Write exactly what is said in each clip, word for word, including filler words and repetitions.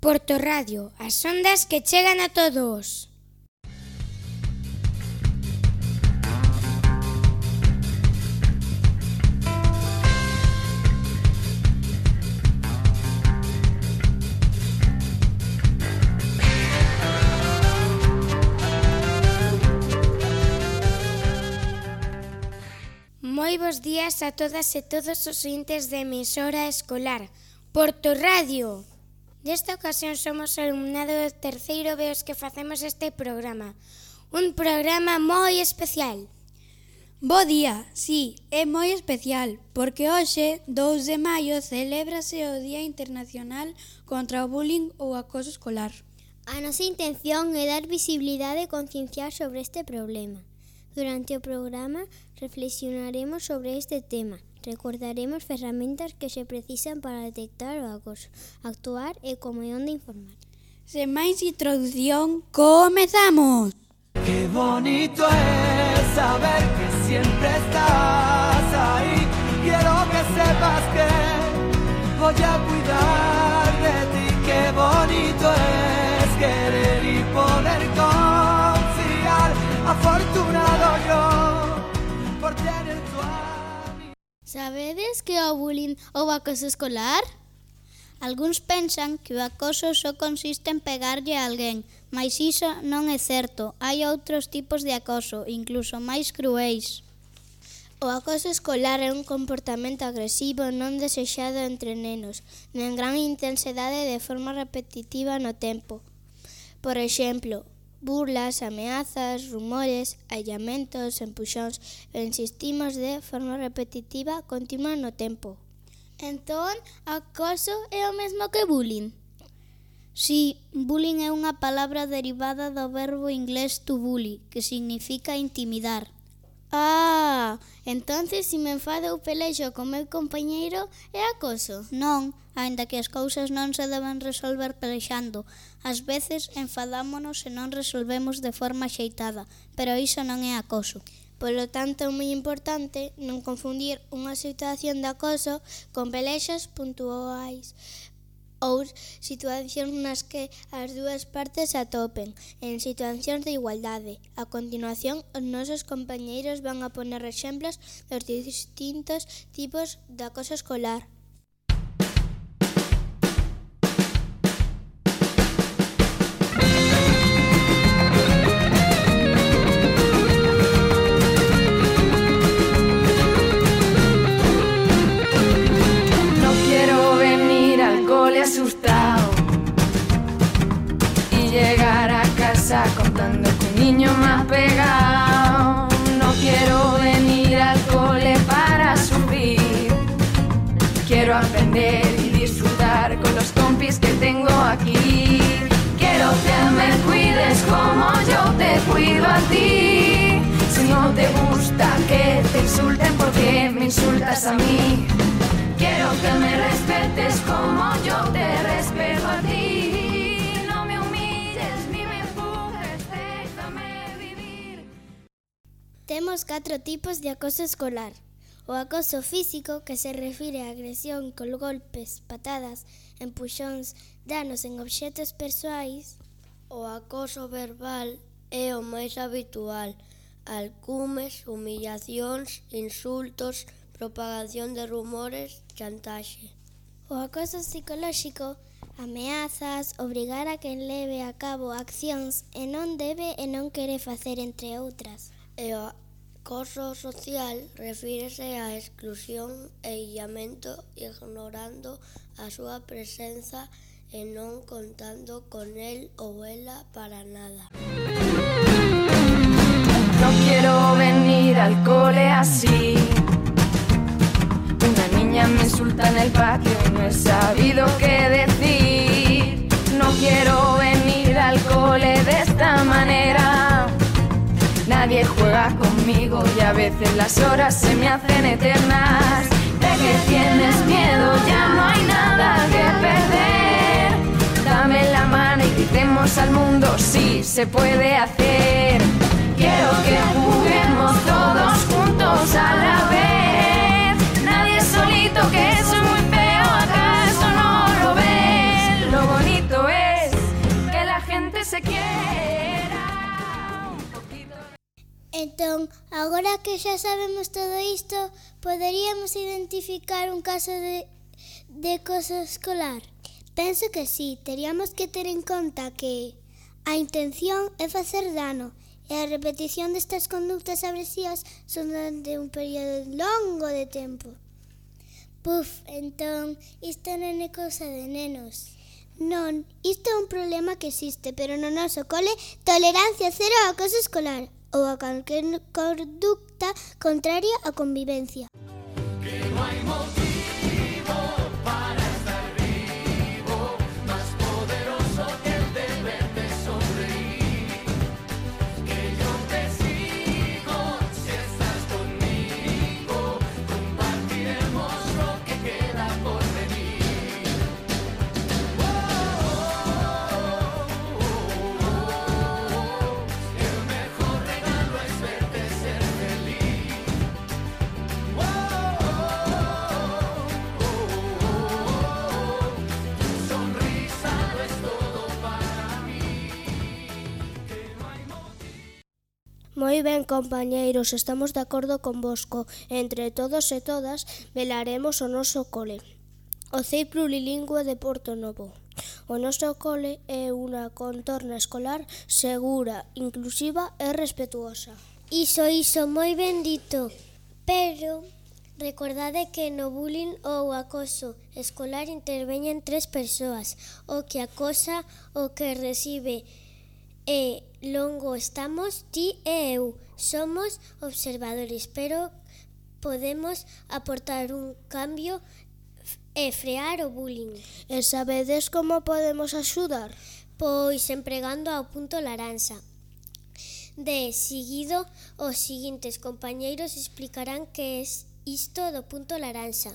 Porto Radio, as ondas que chegan a todos. Moi bos días a todas e todos os ointes de emisora escolar Porto Radio. Nesta ocasión somos o alumnado do terceiro B os que facemos este programa. Un programa moi especial. Bo día, sí, é moi especial, porque hoxe, dous de maio, celébrase o Día Internacional contra o Bullying ou Acoso Escolar. A nosa intención é dar visibilidade e concienciar sobre este problema. Durante o programa reflexionaremos sobre este tema. Recordaremos ferramentas que se precisan para detectar o acoso, actuar e como é onde informar. Sen máis introducción, comezamos! Qué bonito es saber que siempre estás ahí. Quiero que sepas que voy a cuidar de ti. Qué bonito es querer y poder confiar. Afortunado yo por tener tu amor. Sabedes que o bullying ou acoso escolar? Algúns pensan que o acoso só consiste en pegarlle a alguén, mas iso non é certo. Hai outros tipos de acoso, incluso máis cruéis. O acoso escolar é un comportamento agresivo non desexado entre nenos, en gran intensidade de forma repetitiva no tempo. Por exemplo, burlas, ameazas, rumores, allamentos, empuxóns, e insistimos de forma repetitiva continua no tempo. Entón, acoso é o mesmo que bullying? Si, bullying é unha palabra derivada do verbo inglés to bully, que significa intimidar. Ah, entonces se me enfado ou pelexo con meu compañeiro é acoso? Non, aínda que as cousas non se deben resolver pelexando. Ás veces enfadámonos e non resolvemos de forma axeitada, pero iso non é acoso. Polo tanto, é moi importante non confundir unha situación de acoso con pelexas puntuais ou situacións nas que as dúas partes se atopen en situacións de igualdade. A continuación, os nosos compañeiros van a poner exemplos dos distintos tipos de acoso escolar. Asustado y llegar a casa contando que un niño me ha pegado. No quiero venir al cole para subir, quiero aprender y disfrutar con los compis que tengo aquí. Quiero que me cuides como yo te cuido a ti. Si no te gusta que te insulten, ¿por qué me insultas a mí? Quiero que me respetes como yo te respeto a ti. No me humilles ni me empujes, déjame vivir. Temos catro tipos de acoso escolar. O acoso físico, que se refire á agresión con golpes, patadas, empuxóns, danos en obxetos persoais. O acoso verbal é o máis habitual. Alcumes, humillacións, insultos, propagación de rumores, chantaxe. O acoso psicolóxico, ameazas, obrigar a quen leve a cabo accións e non debe e non quere facer, entre outras. E o acoso social refírese á exclusión e illamento, ignorando a súa presenza e non contando con el ou ela para nada. No quiero venir al cole así. Una niña me insulta en el patio y no he sabido qué decir. No quiero venir al cole de esta manera. Nadie juega conmigo y a veces las horas se me hacen eternas. De que tienes miedo, ya no hay nada que perder. Dame la mano y gritemos al mundo, sí, se puede hacer. Quiero que juguemos todos juntos a la vez. Nadie solito, que eso es muy feo, ¿acaso no lo ves? Lo bonito es se quiera un poquito. Entón, agora que xa sabemos todo isto, poderíamos identificar un caso de, de acoso escolar? Penso que sí, teríamos que ter en conta que a intención é facer dano e a repetición destas conductas agresivas son durante un período longo de tempo. Puf, entón, isto non é cousa de nenos. Non, isto é un problema que existe, pero no noso cole, tolerancia cero ao acoso escolar ou a calquer conducta contraria á convivencia. Que no hay motivo para estar vivo, más poderoso que el deber de sonreír. Que yo te sigo si estás conmigo, compartiremos lo que queda por venir. Oh, oh, oh, oh, el mejor regalo es verte ser feliz. Oh, sonrisa lo es todo para mí. Moi ben, compañeiros, estamos de acordo convosco. Entre todos e todas velaremos o noso cole. O C I Plurilingüe de Porto Novo. O noso cole é unha contorna escolar segura, inclusiva e respetuosa. Iso, iso, moi ben dito. Pero recordade que no bullying ou acoso escolar interveñen tres persoas. O que acosa, o que recibe e longo estamos ti e eu. Somos observadores, pero podemos aportar un cambio e frear o bullying. E sabedes como podemos axudar? Pois empregando ao punto laranxa. De seguido, os seguintes compañeiros explicarán que é isto do punto laranxa.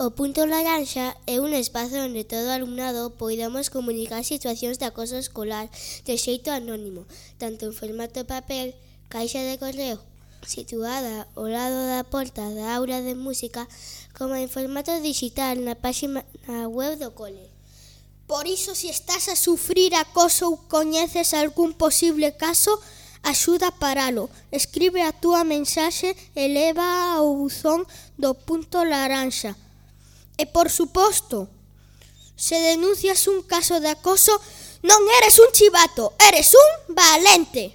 O punto laranxa é un espazo onde todo o alumnado poidamos comunicar situacións de acoso escolar de xeito anónimo, tanto en formato papel, caixa de correo situada ao lado da porta da aula de música, como en formato digital na páxina web do cole. Por iso, se estás a sufrir acoso ou coñeces algún posible caso, axuda a paralo. Escribe a túa mensaxe e leva ao buzón do punto laranxa. E, por suposto, se denuncias un caso de acoso, non eres un chivato, eres un valente.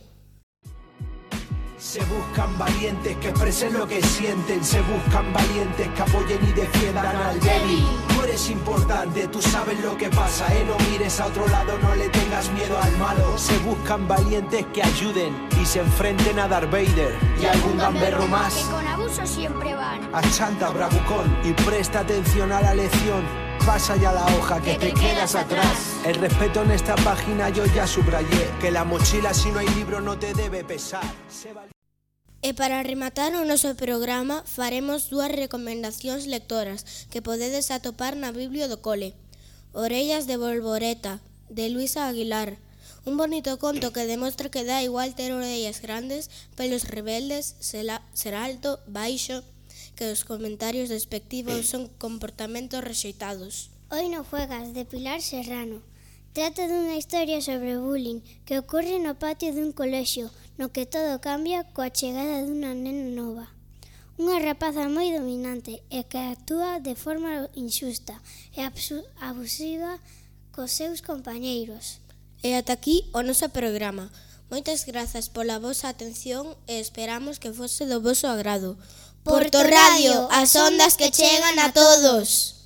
Se buscan valientes que expresen lo que sienten, se buscan valientes que apoyen y defiendan al débil. Tú eres importante, tú sabes lo que pasa, eh, no mires a otro lado, no le tengas miedo al malo. Se buscan valientes que ayuden y se enfrenten a Darth Vader y algún gamberro más. Que con abuso siempre van. A Chanta, bravucón, y presta atención a la lección. Pasa ya la hoja que, que te, te quedas, quedas atrás. atrás. El respeto en esta página yo ya subrayé, que la mochila si no hay libro no te debe pesar. Se val... E para rematar o noso programa faremos dúas recomendacións lectoras que podedes atopar na Biblia do cole. Orellas de Bolboreta, de Luisa Aguilar. Un bonito conto que demostra que dá igual ter orellas grandes, pelos rebeldes, ser alto, baixo, que os comentarios despectivos son comportamentos rexeitados. Hoy no juegas, de Pilar Serrano. Trata dunha historia sobre bullying que ocorre no patio dun colexio, no que todo cambia coa chegada dunha nena nova. Unha rapaza moi dominante e que actúa de forma injusta e abusiva cos seus compañeiros. E ata aquí o noso programa. Moitas grazas pola vosa atención e esperamos que fose do voso agrado. Porto Radio, as ondas que chegan a todos.